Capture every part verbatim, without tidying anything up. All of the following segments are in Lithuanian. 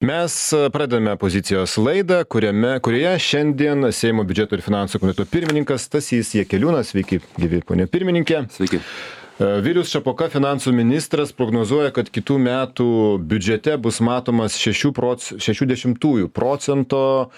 Mes pradedame pozicijos laidą, kuriame, kurioje šiandien Seimo biudžeto ir finansų komiteto pirmininkas Stasys Jakeliūnas, sveiki, gyvi ponė pirmininkė. Sveiki. Vilius Šapoka, finansų ministras, prognozuoja, kad kitų metų biudžete bus matomas šešių dešimtųjų procento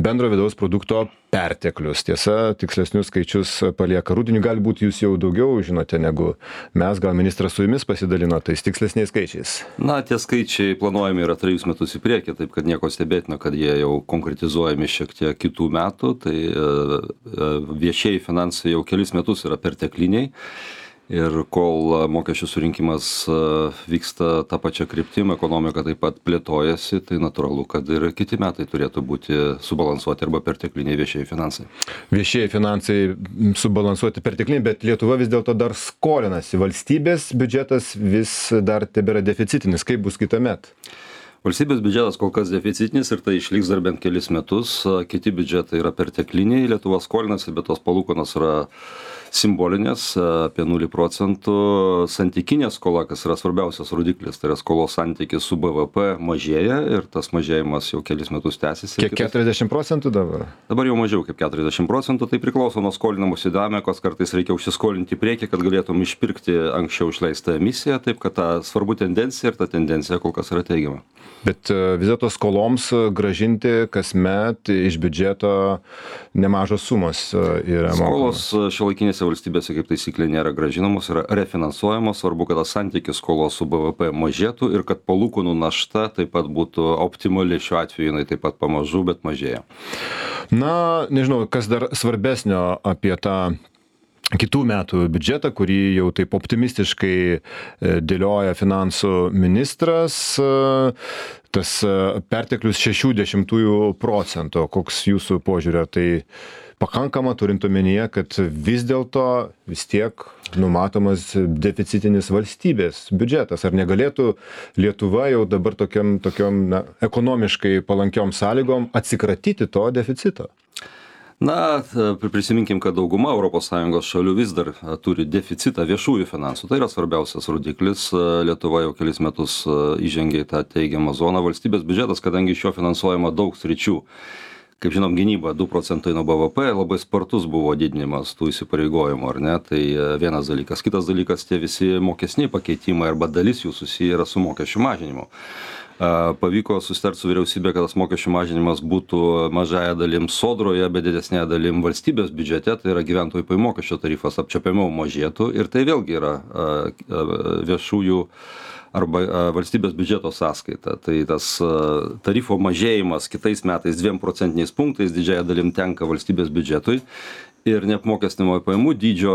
bendro vidaus produkto perteklius. Tiesa, tikslesnius skaičius palieka rudeniui, galbūt jūs jau daugiau žinote negu mes, gal ministras su jumis pasidalino tais tikslesniais skaičiais. Na, tie skaičiai planuojami yra trejus metus į priekį, taip kad nieko stebėtina, kad jie jau konkretizuojami šiek tiek kitų metų, tai viešieji finansai jau kelis metus yra pertekliniai. Ir kol mokesčių surinkimas vyksta tą pačią kryptim, ekonomika taip pat plėtojasi, tai natūralu, kad ir kiti metai turėtų būti subalansuoti arba pertekliniai viešieji finansai. Viešieji finansai subalansuoti pertekliniai, bet Lietuva vis dėlto dar skolinasi. Valstybės biudžetas vis dar tebėra deficitinis. Kaip bus kitąmet? Valstybės biudžetas kol kas deficitinis ir tai išliks dar bent kelis metus. Kiti biudžetai yra pertekliniai. Lietuva skolinasi, bet tos palūkanos yra simbolinės, apie nulį procentų. Santykinė skola, kas yra svarbiausias rodiklis, tai yra skolos santykis su B V P mažėja ir tas mažėjimas jau kelis metus tęsiasi. Kiek keturiasdešimt procentų dabar? Dabar jau mažiau kaip keturiasdešimt procentų, tai priklauso nuo skolinimosi dinamikos, kartais reikia užsiskolinti į priekį, kad galėtum išpirkti anksčiau išleistą emisiją, taip kad ta svarbu tendencija ir ta tendencija kol kas yra teigiama. Bet vis dėlto skoloms gražinti kasmet iš biudžeto nemažos sumos yra mokamos. Skolos šiuolaikinėse valstybėse kaip taisyklė nėra gražinamos, yra refinansuojamos, svarbu, kad tas santykis skolos su B V P mažėtų ir kad palūkanų našta taip pat būtų optimali, šiuo atveju jinai taip pat pamažu, bet mažėja. Na, nežinau, kas dar svarbesnio apie tą kitų metų biudžetą, kurį jau taip optimistiškai dėlioja finansų ministras, tas perteklius šešių dešimtųjų procento. Koks jūsų požiūrė, tai pakankama turint omenyje, kad vis dėlto vis tiek numatomas deficitinis valstybės biudžetas? Ar negalėtų Lietuva jau dabar tokiam, tokiam na, ekonomiškai palankiom sąlygom atsikratyti to deficito? Na, prisiminkim, kad dauguma Europos Sąjungos šalių vis dar turi deficitą viešųjų finansų. Tai yra svarbiausias rodiklis. Lietuva jau kelis metus įžengė į tą teigiamą zoną. Valstybės biudžetas, kadangi iš jo finansuojama daug sričių, kaip žinom, gynyba du procentai nuo B V P, labai spartus buvo didinimas tų įsipareigojimų, ar ne? Tai vienas dalykas. Kitas dalykas, tie visi mokesniai pakeitimai arba dalis jų susiję yra su mokesčių mažinimu. Pavyko susitarti su vyriausybė, kad tas mokesčių mažinimas būtų mažąja dalim sodroje, bet didesnėje dalim valstybės biudžete, tai yra gyventojų pajamų mokesčio tarifas apčiuopiamiau mažėtų ir tai vėlgi yra viešųjų arba valstybės biudžeto sąskaita. Tai tas tarifo mažėjimas kitais metais dviem procentiniais punktais didžiąja dalim tenka valstybės biudžetui. Ir neapmokestinamo pajamų dydžio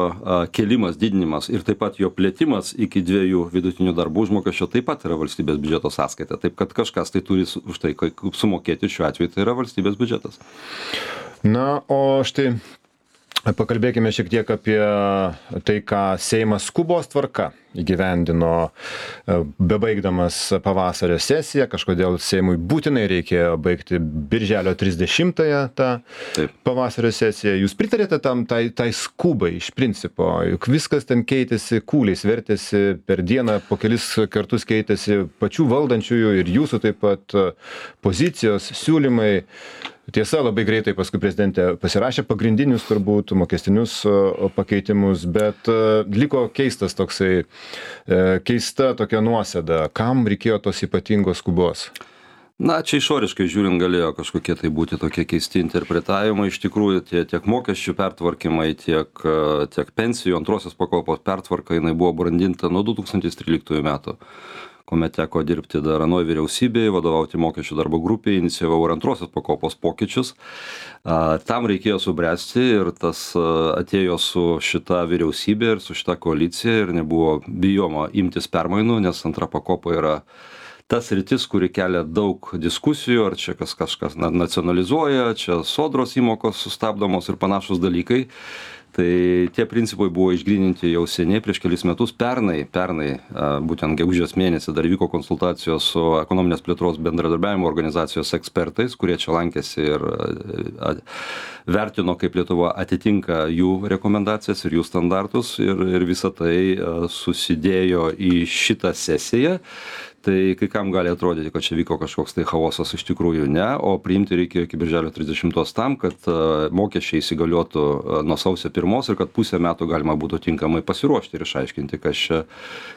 kėlimas, didinimas ir taip pat jo plėtimas iki dviejų vidutinių darbo užmokesčio taip pat yra valstybės biudžeto sąskaita. Taip kad kažkas tai turi už tai sumokėti, šiuo atveju tai yra valstybės biudžetas. Na, o štai pakalbėkime šiek tiek apie tai, ką Seimas skubos tvarka įgyvendino, bebaigdamas pavasario sesiją. Kažkodėl Seimui būtinai reikėjo baigti birželio trisdešimtąją tą Taip. pavasario sesiją. Jūs pritarėte tam tai, tai skubai iš principo, juk viskas ten keitėsi, kūliais vertėsi per dieną, po kelis kartus keitėsi pačių valdančiųjų ir jūsų taip pat pozicijos, siūlymai. Tiesa, labai greitai paskui prezidentė pasirašė pagrindinius turbūt mokestinius pakeitimus, bet liko keistas toksai, keista tokia nuosėda. Kam reikėjo tos ypatingos skubos? Na, čia išoriškai žiūrint galėjo kažkokie tai būti tokie keisti interpretavimai. Iš tikrųjų, tie, tiek mokesčių pertvarkymai, tiek, tiek pensijų antrosios pakopos pertvarka, jinai buvo brandinta nuo du tūkstančiai tryliktųjų metų. Kuomet teko dirbti dar anoj vyriausybėje, vadovauti mokesčių darbo grupėje, inicijavau ir antrosios pakopos pokyčius. Tam reikėjo subręsti ir tas atėjo su šita vyriausybė ir su šita koalicija ir nebuvo bijoma imtis permainų, nes antra pakopa yra tas sritis, kuri kelia daug diskusijų, ar čia kas kažkas nacionalizuoja, čia sodros įmokos sustabdomos ir panašus dalykai. Tai tie principai buvo išgryninti jau seniai, prieš kelis metus. Pernai, pernai būtent gegužės mėnesį dar vyko konsultacijos su ekonominės plėtros bendradarbiavimo organizacijos ekspertais, kurie čia lankėsi ir vertino, kaip Lietuva atitinka jų rekomendacijas ir jų standartus, ir, ir visa tai susidėjo į šitą sesiją. Tai kai kam gali atrodyti, kad čia vyko kažkoks tai chaosas, iš tikrųjų ne, o priimti reikėjo iki birželio trisdešimtos tam, kad mokesčiai įsigaliotų nuo sausio pirmos ir kad pusę metų galima būtų tinkamai pasiruošti ir išaiškinti, kas čia,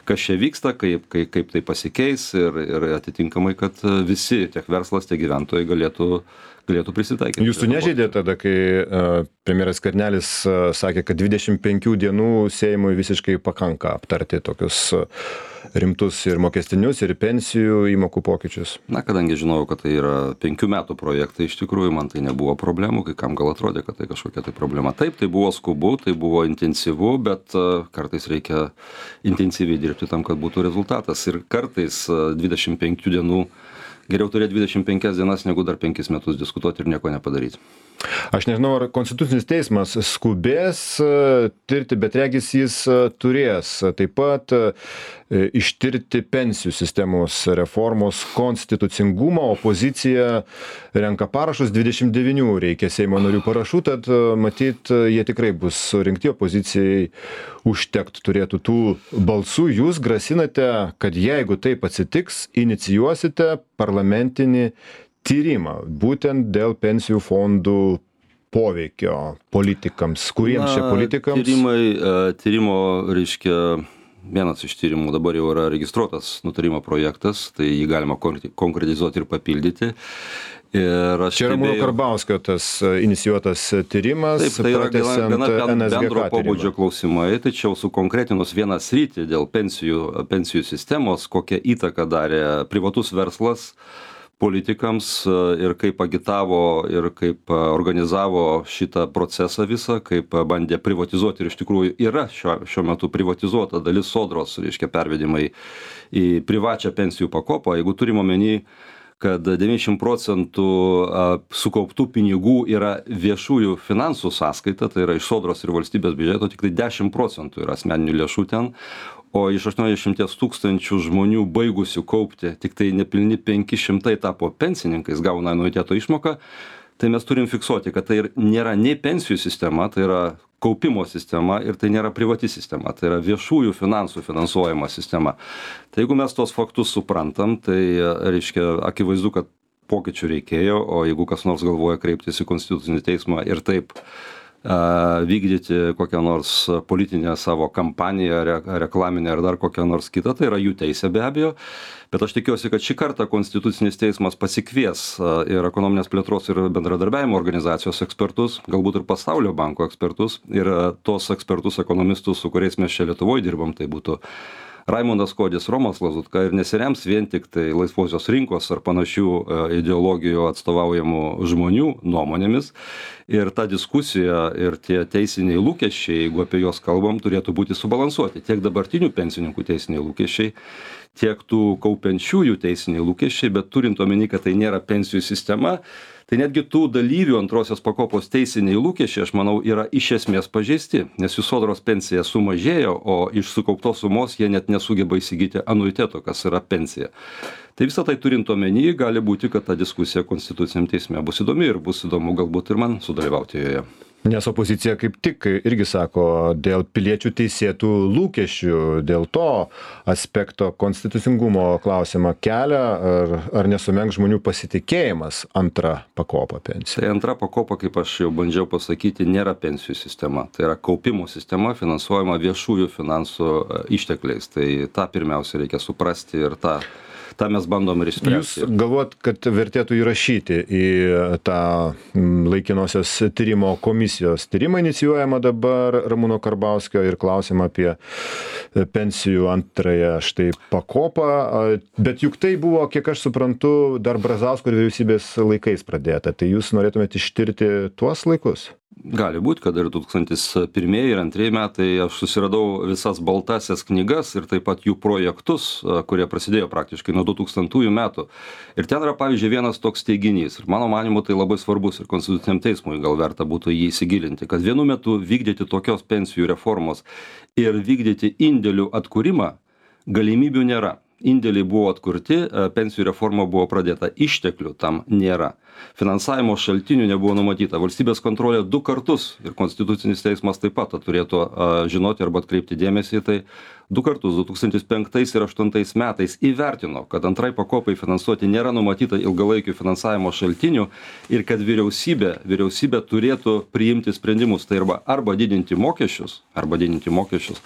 kas čia vyksta, kaip, kaip, kaip tai pasikeis ir, ir atitinkamai, kad visi, tiek verslas, tiek gyventojai galėtų galėtų prisitaikyti. Jūsų nežeidė tada, kai uh, premjeras Skvernelis uh, sakė, kad dvidešimt penkių dienų Seimui visiškai pakanka aptarti tokius uh, rimtus ir mokestinius, ir pensijų įmokų pokyčius? Na, kadangi žinojau, kad tai yra penkių metų projektai, iš tikrųjų man tai nebuvo problemų, kai kam gal atrodė, kad tai kažkokia tai problema. Taip, tai buvo skubu, tai buvo intensyvu, bet uh, kartais reikia intensyviai dirbti tam, kad būtų rezultatas. Ir kartais uh, dvidešimt penkių dienų geriau turėti dvidešimt penkias dienas, negu dar penkis metus diskutuoti ir nieko nepadaryti. Aš nežinau, ar Konstitucinis teismas skubės tirti, bet regis jis turės taip pat ištirti pensijų sistemos reformos konstitucingumą. Opozicija renka parašus, dvidešimt devynių reikia Seimo narių parašų, tad matyt, jie tikrai bus surinkti, opozicijai užtekt turėtų tų balsų. Jūs grasinate, kad jeigu taip atsitiks, inicijuosite parlamentinį tyrimą, būtent dėl pensijų fondų poveikio politikams. Kuriems čia politikams? Tyrimai, tyrimo, reiškia, vienas iš tyrimų dabar jau yra registruotas nutarimo projektas, tai jį galima konkretizuoti ir papildyti. Ir aš čia Ramūno Karbauskio tas inicijuotas tyrimas. Taip, tai yra gana, gana bendro pobūdžio klausimai, tačiau sukonkretinus vieną sritį dėl pensijų, pensijų sistemos, kokią įtaką darė privatus verslas politikams ir kaip agitavo ir kaip organizavo šitą procesą visą, kaip bandė privatizuoti ir iš tikrųjų yra šiuo, šiuo metu privatizuota dalis sodros, reiškia pervedimai į privačią pensijų pakopą. Jeigu turim omeny, kad devyniasdešimt procentų sukauptų pinigų yra viešųjų finansų sąskaita, tai yra iš sodros ir valstybės biudžeto, tik tai dešimt procentų yra asmeninių lėšų ten, o iš aštuoniasdešimt tūkstančių žmonių baigusių kaupti, tik tai nepilni penki šimtai tapo pensininkais, gauna anuiteto išmoką, tai mes turim fiksuoti, kad tai nėra nei pensijų sistema, tai yra kaupimo sistema ir tai nėra privati sistema, tai yra viešųjų finansų finansuojama sistema. Tai jeigu mes tos faktus suprantam, tai reiškia akivaizdu, kad pokyčių reikėjo, o jeigu kas nors galvoja kreiptis į Konstitucinį teismą ir taip vykdyti kokią nors politinę savo kampaniją, re, reklaminę ar dar kokią nors kitą, tai yra jų teisė be abejo. Bet aš tikiuosi, kad šį kartą Konstitucinis teismas pasikvies ir ekonominės plėtros ir bendradarbiavimo organizacijos ekspertus, galbūt ir Pasaulio banko ekspertus ir tos ekspertus, ekonomistus, su kuriais mes čia Lietuvoje dirbam, tai būtų Raimondas Kuodis, Romas Lazutka ir nesirems vien tik tai laisvosios rinkos ar panašių ideologijų atstovaujamų žmonių nuomonėmis. Ir ta diskusija ir tie teisiniai lūkesčiai, jeigu apie juos kalbam, turėtų būti subalansuoti. Tiek dabartinių pensininkų teisiniai lūkesčiai, tiek tų kaupiančiųjų teisiniai lūkesčiai, bet turint omeny, kad tai nėra pensijų sistema, tai netgi tų dalyvių antrosios pakopos teisiniai lūkesčiai, aš manau, yra iš esmės pažeisti, nes jų sodros pensija sumažėjo, o iš sukauptos sumos jie net nesugeba įsigyti anuiteto, kas yra pensija. Tai visą tai turint omeny, gali būti, kad ta diskusija Konstituciniam teisme bus įdomi ir bus įdomu galbūt ir man sudalyvauti joje. Nes opozicija kaip tik irgi sako, dėl piliečių teisėtų lūkesčių, dėl to aspekto konstitucingumo klausimą kelia, ar, ar nesumenks žmonių pasitikėjimas antra pakopa pensija. Tai antra pakopa, kaip aš jau bandžiau pasakyti, nėra pensijų sistema. Tai yra kaupimo sistema finansuojama viešųjų finansų ištekliais. Tai tą pirmiausia reikia suprasti ir tą tą mes bandom ir išspręsti. Jūs galvojat, kad vertėtų įrašyti į tą laikinosios tyrimo komisijos tyrimą inicijuojama dabar Ramūno Karbauskio ir klausimą apie pensijų antrąją štai pakopą, bet juk tai buvo, kiek aš suprantu, dar Brazausko ir vyriausybės laikais pradėta. Tai jūs norėtumėte ištirti tuos laikus? Gali būti, kad ir du tūkstantis pirmieji ir antrieji metai aš susiradau visas baltasias knygas ir taip pat jų projektus, kurie prasidėjo praktiškai nuo du tūkstantųjų metų. Ir ten yra, pavyzdžiui, vienas toks teiginys. Ir mano manimu tai labai svarbus ir Konstituciniam teismui gal verta būtų jį įsigilinti, kad vienu metu vykdyti tokios pensijų reformos ir vykdyti indėlių atkūrimą galimybių nėra. indėliai buvo atkurti, pensijų reforma buvo pradėta, išteklių tam nėra. Finansavimo šaltinių nebuvo numatyta. Valstybės kontrolė du kartus ir Konstitucinis teismas taip pat turėtų žinoti arba atkreipti dėmesį į tai. Du kartus, du tūkstančiai penktais ir du tūkstančiai aštuntais metais įvertino, kad antrai pakopai finansuoti nėra numatyta ilgalaikių finansavimo šaltinių ir kad vyriausybė, vyriausybė turėtų priimti sprendimus, tai arba, arba didinti mokesčius, arba didinti mokesčius,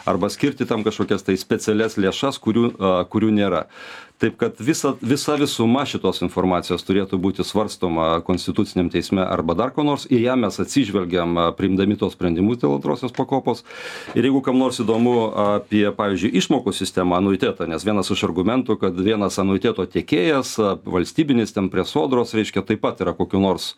arba skirti tam kažkokias tai specialias lėšas, kurių, kurių nėra. Taip kad visa, visa visuma šitos informacijos turėtų būti svarstoma Konstituciniam teisme arba dar ko nors, ir ją mes atsižvelgiam priimdami tos sprendimus dėl antrosios pakopos. Ir jeigu kam nors įdomu apie, pavyzdžiui, išmokų sistemą, anuitetą, nes vienas iš argumentų, kad vienas anuiteto tiekėjas, valstybinis ten prie sodros, reiškia, taip pat yra kokiu nors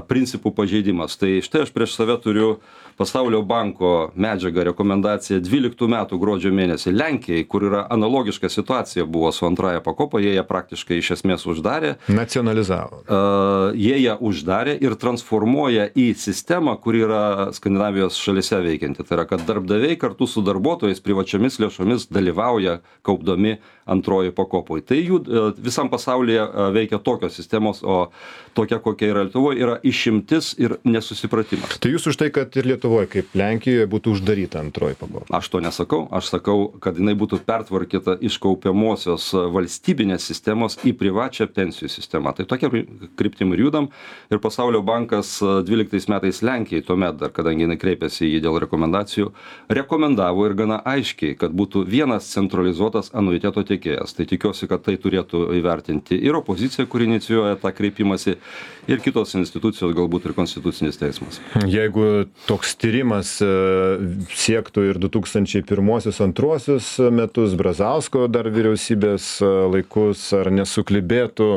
principų pažeidimas. Tai štai aš prieš save turiu Pasaulio banko medžiagą, rekomendaciją dvyliktų metų gruodžio mėnesį Lenkijai, kur yra analogiška situacija buvo su antraja pakopa, jie ją praktiškai iš esmės uždarė. Nacionalizavo. Uh, jie ją uždarė ir transformuoja į sistemą, kur yra Skandinavijos šalyse veikianti. Tai yra, kad darbdaviai kartu su darbuotojais privačiomis lėšomis dalyvauja kaupdami antroji pakopoj. Tai jų uh, visam pasaulyje uh, veikia tokios sistemos, o tokia, kokia yra Lietuvoje, yra išimtis ir nesusipratimas. Tai jūs už tai, kad ir Lietuvoje, kaip Lenkijoje, būtų uždaryta antroji pakopa? Aš to nesakau. Aš sakau, kad jinai būtų pertvarkyta iš kaupiamosios valstybinės sistemos į privačią pensijų sistemą. Tai tokia kryptim ir judam. Ir Pasaulio bankas dvyliktais metais Lenkijai, tuomet dar, kadangi jinai kreipėsi į jį dėl rekomendacijų, rekomendavo ir gana aiškiai, kad būtų vienas centralizuotas anuiteto tiekėjas. Tai tikiuosi, kad tai turėtų įvertinti ir opozicija, kuri inicijuoja tą kreipimąsi, ir kitos institucijos, galbūt ir Konstitucinis teismas. Jeigu toks tyrimas siektų ir du tūkstančiai pirmuosius antruosius metus, Brazausko dar vyriausybės laikus, ar nesuklibėtų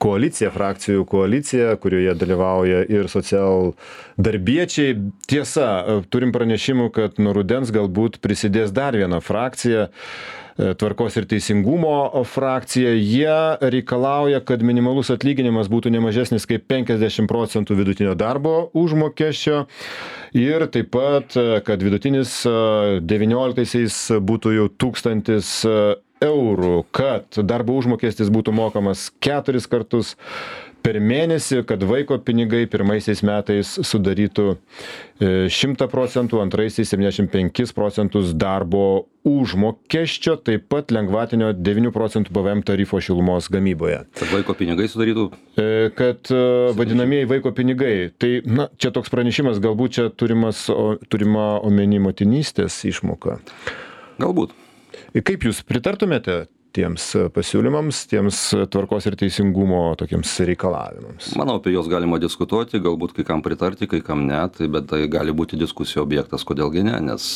koalicija, frakcijų koalicija, kurioje dalyvauja ir socialdarbiečiai. Tiesa, turim pranešimų, kad nuo rudens galbūt prisidės dar viena frakcija, Tvarkos ir teisingumo frakcija. Jie reikalauja, kad minimalus atlyginimas būtų nemažesnis kaip penkiasdešimt procentų vidutinio darbo užmokesčio ir taip pat, kad vidutinis devynioliktaisiais būtų jau tūkstantis eurų, kad darbo užmokestis būtų mokamas keturis kartus per mėnesį, kad vaiko pinigai pirmaisiais metais sudarytų šimtą procentų, antraisiais septyniasdešimt penkis procentus darbo užmokesčio, taip pat lengvatinio devynių procentų P V M tarifo šilumos gamyboje. Kad vaiko pinigai sudarytų? Kad vadinamieji vaiko pinigai. Tai, na, čia toks pranešimas, galbūt čia turimas, turima omeny motinystės išmoka. Galbūt. Kaip jūs pritartumėte tiems pasiūlymams, tiems tvarkos ir teisingumo tokiems reikalavimams? Manau, apie juos galima diskutuoti, galbūt kai kam pritarti, kai kam ne, tai, bet tai gali būti diskusijų objektas, kodėlgi ne, nes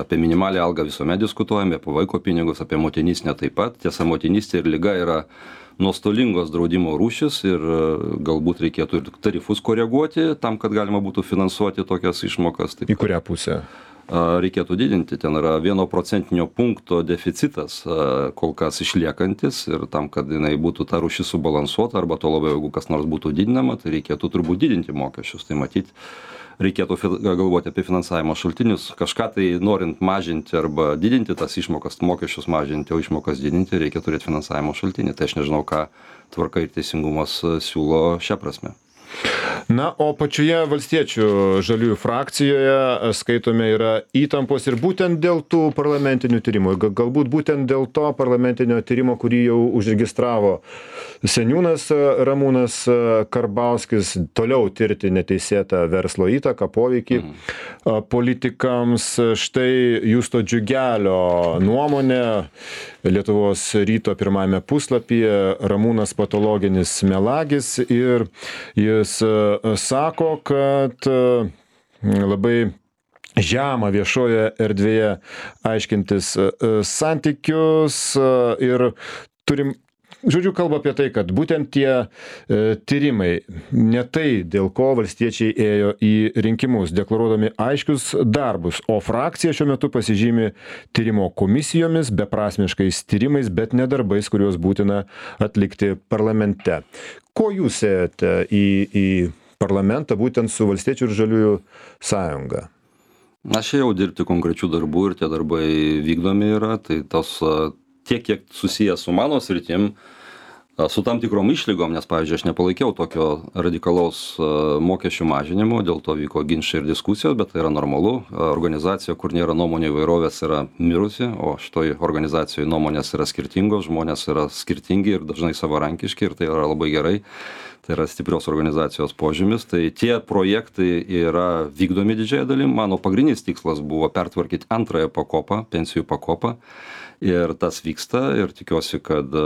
apie minimalią algą visuomet diskutuojame, apie vaiko pinigus, apie motinystę taip pat. Tiesa, motinystė ir liga yra nuostolingos draudimo rūšis ir galbūt reikėtų ir tarifus koreguoti tam, kad galima būtų finansuoti tokias išmokas. Taip. Į kurią pusę? Reikėtų didinti. Ten yra vieno procentinio punkto deficitas kol kas išliekantis ir tam, kad jinai būtų ta rūšis subalansuota arba to labiau, jeigu kas nors būtų didinama, tai reikėtų turbūt didinti mokesčius. Tai matyti, reikėtų galvoti apie finansavimo šaltinius. Kažką tai norint mažinti arba didinti tas išmokas, mokesčius mažinti, o išmokas didinti, reikia turėti finansavimo šaltinį. Tai aš nežinau, ką Tvarka ir teisingumas siūlo šią prasme. Na, o pačioje valstiečių žaliųjų frakcijoje skaitome yra įtampos ir būtent dėl tų parlamentinių tyrimų. Galbūt būtent dėl to parlamentinio tyrimo, kurį jau užregistravo seniūnas Ramūnas Karbauskis, toliau tirti neteisėtą verslo įtaką, poveikį mhm. politikams. Štai Justo Džiugelio nuomonė Lietuvos ryto pirmajame puslapyje, Ramūnas patologinis melagis, ir jis sako, kad labai žema viešoje erdvėje aiškintis santykius ir turim, žodžiu, kalba apie tai, kad būtent tie e, tyrimai, ne tai, dėl ko valstiečiai ėjo į rinkimus, deklaruodami aiškius darbus, o frakcija šiuo metu pasižymi tyrimo komisijomis, beprasmiškais tyrimais, bet ne darbais, kuriuos būtina atlikti parlamente. Ko jūs ėjate į, į parlamentą būtent su Valstiečių ir Žaliųjų sąjunga? Aš ėjau dirbti konkrečių darbų ir tie darbai vykdomi yra, tai tos tiek, kiek susijęs su mano sritim, su tam tikrom išlygom, nes, pavyzdžiui, aš nepalaikiau tokio radikalaus mokesčių mažinimo, dėl to vyko ginčai ir diskusijos, bet tai yra normalu. Organizacija, kur nėra nuomonių įvairovės, yra mirusi, o šitoj organizacijoje nuomonės yra skirtingos, žmonės yra skirtingi ir dažnai savarankiški ir tai yra labai gerai. Tai yra stiprios organizacijos požymis. Tai tie projektai yra vykdomi didžiąją dalim. Mano pagrindinis tikslas buvo pertvarkyti antrąją pakopą, pensijų pakopą. Ir tas vyksta ir tikiuosi, kad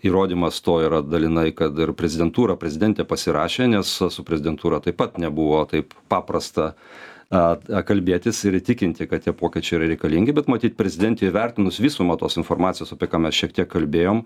įrodymas to yra dalinai, kad ir prezidentūra, prezidentė pasirašė, nes su prezidentūra taip pat nebuvo taip paprasta kalbėtis ir įtikinti, kad tie pokyčiai yra reikalingi, bet matyt, prezidentė įvertinus visumą tos informacijos, apie ką mes šiek tiek kalbėjom,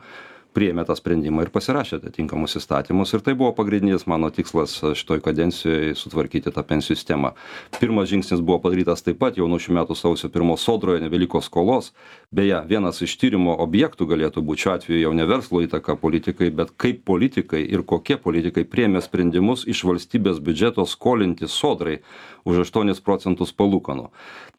priėmė tą sprendimą ir pasirašė atitinkamus įstatymus. Ir tai buvo pagrindinis mano tikslas šitoj kadencijoje sutvarkyti tą pensijų sistemą. Pirmas žingsnis buvo padarytas taip pat, jau nuo šių metų sausio pirmos Sodroje nebeliko skolos. Beje, vienas iš tyrimo objektų galėtų būti šiuo atveju jau ne verslo įtaka politikai, bet kaip politikai ir kokie politikai priėmė sprendimus iš valstybės biudžeto skolinti Sodrai už aštuonis procentus palūkanų.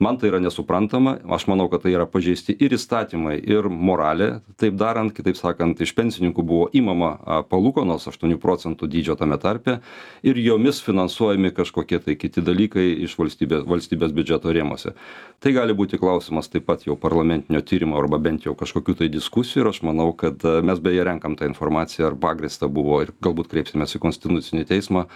Man tai yra nesuprantama, aš manau, kad tai yra pažeisti ir įstatymai, ir moralė, taip darant, kitaip sakant, iš pensininkų buvo imama palūkanos aštuonių procentų dydžio tame tarpe ir jomis finansuojami kažkokie tai kiti dalykai iš valstybės, valstybės biudžeto rėmose. Tai gali būti klausimas taip pat jau parlamentinio tyrimo arba bent jau kažkokių tai diskusijų ir aš manau, kad mes beje renkam tą informaciją, ar pagrįsta buvo ir galbūt kreipsimės į Konstitucinį teismą,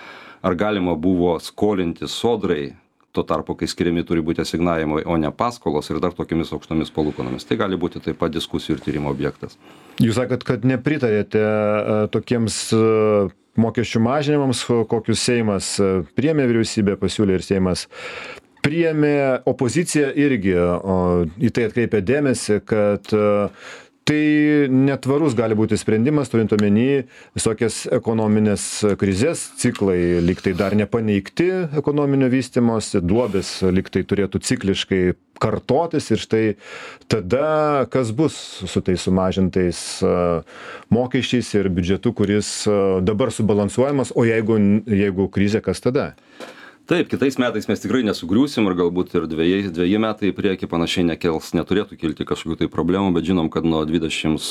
ar galima buvo skolinti Sodrai, tuo tarpu, kai skiriami turi būti asignavimai, o ne paskolos ir dar tokiamis aukštomis palūkanomis. Tai gali būti taip pat diskusijų ir tyrimo objektas. Jūs sakot, kad nepritarėte tokiems mokesčių mažinimams, kokius Seimas priėmė, vyriausybė pasiūlė ir Seimas priėmė, opozicija irgi o, į tai atkreipė dėmesį, kad tai netvarus gali būti sprendimas, turint omeny visokias ekonominės krizės, ciklai lyg tai dar nepaneigti ekonominio vystymosi, duobės lyg tai turėtų cikliškai kartotis ir štai tada kas bus su tais sumažintais mokesčiais ir biudžetu, kuris dabar subalansuojamas, o jeigu, jeigu krizė, kas tada? Taip, kitais metais mes tikrai nesugriūsim ir galbūt ir dviejai, dviejai metai į priekį panašiai nekels, neturėtų kilti kažkokių tai problemų, bet žinom, kad nuo dvidešimt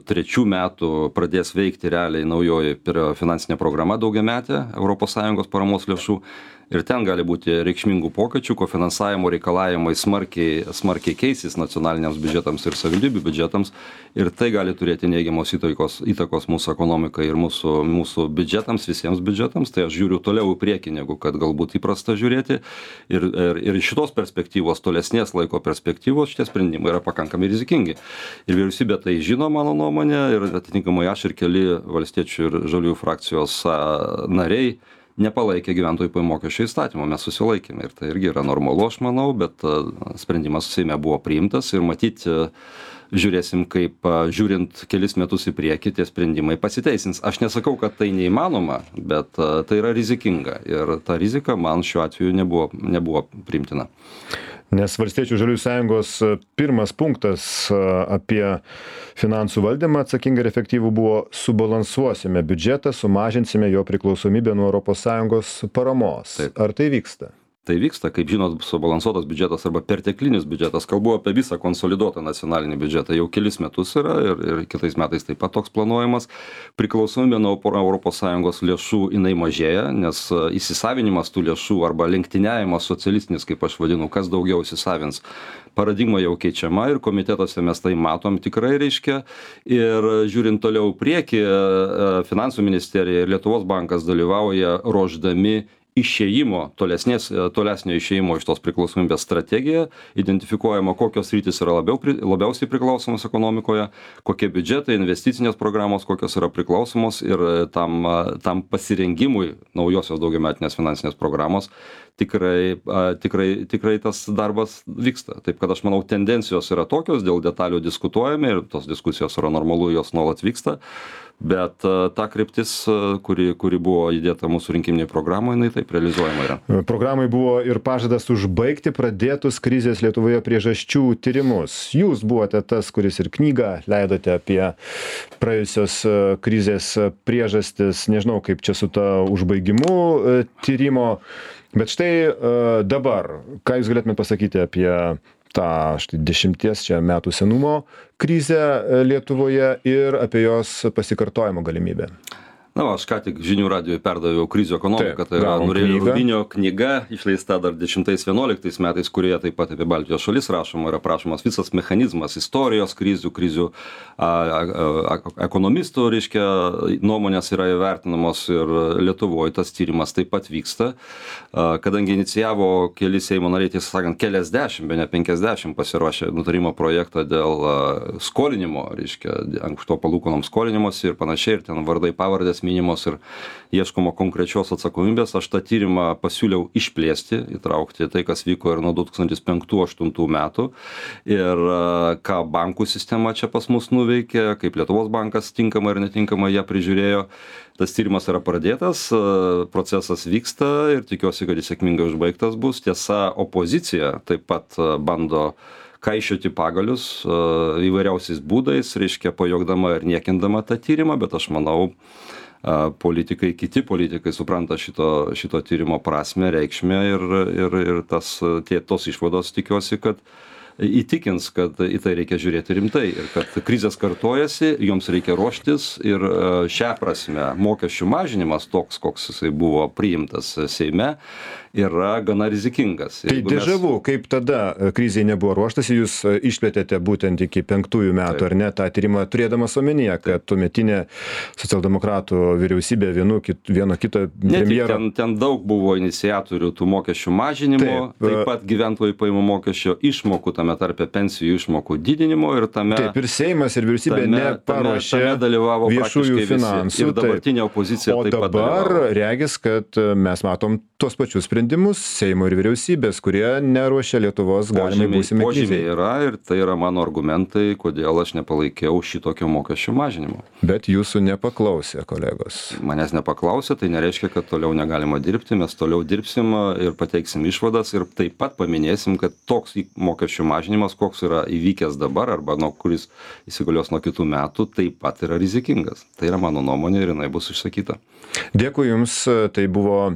trečių metų pradės veikti realiai naujoji finansinė programa daugiametė Europos Sąjungos paramos lėšų ir ten gali būti reikšmingų pokyčių, kofinansavimo reikalavimai smarkiai, smarkiai keisis nacionaliniams biudžetams ir savivaldybių biudžetams ir tai gali turėti neigiamos įtakos, įtakos mūsų ekonomikai ir mūsų, mūsų biudžetams, visiems biudžetams, tai aš žiūriu toliau į priekį, negu kad galbūt įprasta žiūrėti ir, ir, ir iš šitos perspektyvos, tolesnės laiko perspektyvos, šitie sprendimai yra pakankamai rizikingi. Ir vyriausybė tai žino, mano nuomonė, ir atitinkamai aš ir keli valstiečių ir žaliųjų frakcijos nariai nepalaikė gyventojų pajamų mokesčio įstatymo, mes susilaikėme ir tai irgi yra normalu, aš manau, bet sprendimas Seime buvo priimtas ir matyti žiūrėsim, kaip žiūrint kelis metus į priekį tie sprendimai pasiteisins. Aš nesakau, kad tai neįmanoma, bet tai yra rizikinga ir ta rizika man šiuo atveju nebuvo, nebuvo priimtina. Nes Valstiečių žaliųjų sąjungos pirmas punktas apie finansų valdymą atsakingą ir efektyvų buvo subalansuosime biudžetą, sumažinsime jo priklausomybę nuo Europos Sąjungos paramos. Taip. Ar tai vyksta? Tai vyksta, kaip žinot, subalansuotas biudžetas arba perteklinis biudžetas, kalbu apie visą konsoliduotą nacionalinį biudžetą, jau kelis metus yra ir, ir kitais metais taip pat toks planuojamas. Priklausomybė nuo Europos Sąjungos lėšų jinai mažėja, nes įsisavinimas tų lėšų arba lenktyniavimas socialistinis, kaip aš vadinu, kas daugiau įsisavins, paradigma jau keičiama ir komitetuose mes tai matom tikrai, reiškia. Ir žiūrint toliau priekį, Finansų ministerija ir Lietuvos bankas dalyvauja ruošdami išėjimo, tolesnės, tolesnio išėjimo iš tos priklausomybės strategija, identifikuojama, kokios sritys yra labiau, labiausiai priklausomos ekonomikoje, kokie biudžetai, investicinės programos, kokios yra priklausomos ir tam, tam pasirengimui naujosios daugiametinės finansinės programos tikrai, tikrai, tikrai tas darbas vyksta. Taip kad aš manau, tendencijos yra tokios, dėl detalių diskutuojame ir tos diskusijos yra normalu, jos nuolat vyksta. Bet ta kryptis, kuri, kuri buvo įdėta mūsų rinkiminėje programoje, jinai taip realizuojama yra. Programai buvo ir pažadas užbaigti pradėtus krizės Lietuvoje priežasčių tyrimus. Jūs buvote tas, kuris ir knygą leidote apie praėjusios krizės priežastis, nežinau kaip čia su ta užbaigimu tyrimo. Bet štai dabar, ką jūs galėtumėte pasakyti apie tą štai dešimties čia metų senumo krizę Lietuvoje ir apie jos pasikartojimo galimybę. Na, va, aš ką tik žinių radijoj perdaviau krizių ekonomiką, tai yra Nurelio Rubinio knyga, išleista dar dešimtais vienuoliktais metais, kurioje taip pat apie Baltijos šalis rašoma, yra prašomas visas mechanizmas istorijos krizių, krizių a, a, a, ekonomistų, reiškia, nuomonės yra įvertinamos ir Lietuvoje tas tyrimas taip pat vyksta, a, kadangi inicijavo keli Seimo nariai, tiesą sakant, keliasdešimt, be ne penkiasdešimt pasiruošė nutarimo projektą dėl a, skolinimo, reiškia, anksto palūkanom skolinimosi ir panašiai, ir ten vardai pavardės minimos ir ieškoma konkrečios atsakomybės. Aš tą tyrimą pasiūliau išplėsti, įtraukti tai, kas vyko ir nuo du tūkstantis penktų aštuntų metų ir ką bankų sistema čia pas mus nuveikė, kaip Lietuvos bankas tinkamai ir netinkamai ją prižiūrėjo. Tas tyrimas yra pradėtas, procesas vyksta ir tikiuosi, kad jis sėkmingai užbaigtas bus. Tiesa, opozicija taip pat bando kaišioti pagalius įvairiausiais būdais, reiškia pajogdama ir niekindama tą tyrimą, bet aš manau, politikai, kiti politikai supranta šito, šito tyrimo prasme, reikšmę ir, ir, ir tas, tie, tos išvados tikiuosi, kad įtikins, kad į tai reikia žiūrėti rimtai ir kad krizės kartojasi, joms reikia ruoštis ir šią prasme mokesčių mažinimas toks, koks jisai buvo priimtas Seime, yra gana rizikingas. Tai dežavu, mes... kaip tada krizai nebuvo ruoštasi, jūs išplėtėte būtent iki penktųjų metų, taip, ar ne, tą tyrimą turėdamas omenyje, kad tuometinė socialdemokratų vyriausybė vienu, kit, vieno kito premjero... Ten, ten daug buvo iniciatorių tų mokesčių mažinimo, taip, taip pat gyventojų pajamų mokesčio išmokų, tame tarpe pensijų išmokų didinimo ir tame... Taip, ir Seimas, ir vyriausybė tame, neparuošė tame, tame dalyvavo viešųjų finansų. Ir dabartinė opozicija o taip pat dabar dalyvavo. Regis, kad mes matom tuos pačius sprendimus Seimo ir vyriausybės, kurie neruošia Lietuvos galimai būsimai krizei. Požymiai yra ir tai yra mano argumentai, kodėl aš nepalaikiau šitokio mokesčių mažinimo. Bet jūsų nepaklausė, kolegos. Manęs nepaklausė, tai nereiškia, kad toliau negalima dirbti, mes toliau dirbsim ir pateiksim išvadas ir taip pat paminėsim, kad toks mokesčių mažinimas, koks yra įvykęs dabar arba nuo kuris įsigalios nuo kitų metų, taip pat yra rizikingas. Tai yra mano nuomonė ir jinai bus išsakyta. Dėkui Jums, tai buvo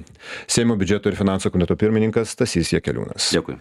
Seimo biudžeto ir finansų komiteto pirmininkas Stasys Jakeliūnas. Dėkui.